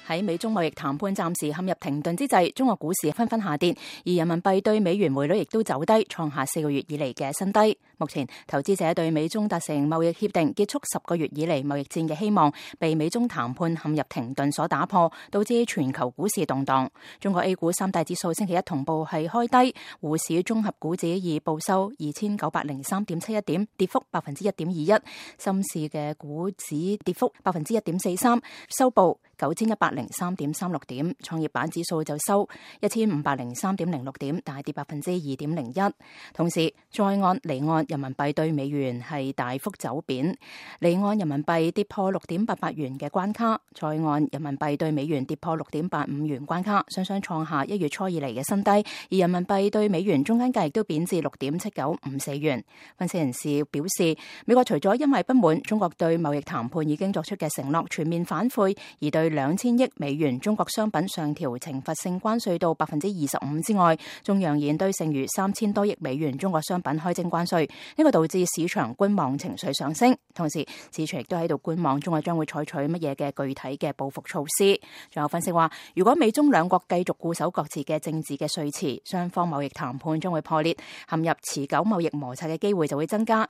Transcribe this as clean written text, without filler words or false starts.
喺美中貿易談判暫時陷入停頓之際，中國股市紛紛下跌，而人民幣對美元匯率亦都走低，創下4個月以嚟嘅新低。目前，投資者對美中達成貿易協定結束10個月以嚟貿易戰嘅希望，被美中談判陷入停頓所打破，導致全球股市動盪。中國 A 股三大指數星期一同步係開低，滬市綜合股指已報收2903.71點，跌幅1.21%；深市嘅股指跌幅1.43%，收報9103.36點。創業板指數就收1503.06點，大跌2.01%。同時，在岸離岸人民幣對美元係大幅走貶，離岸人民幣跌破6.88元嘅關卡，在岸人民幣對美元跌破6.85元關卡，雙雙創下1月初以嚟嘅新低。而人民幣對美元中間價亦都貶至6.7954元。分析人士表示，美國除咗因為不滿中國對貿易談判已經作出嘅承諾全面反悔，而對2000億美元中國商品上調懲罰性關稅到25%之外，仲揚言對剩餘3000多億美元中國商品開徵關稅，呢個導致市場觀望情緒上升。同時，市場亦都喺度觀望中國將會採取乜嘢嘅具體嘅報復措施。仲有分析話，如果美中兩國繼續固守各自嘅政治嘅說辭，雙方貿易談判將會破裂，陷入持久貿易摩擦嘅機會就會增加。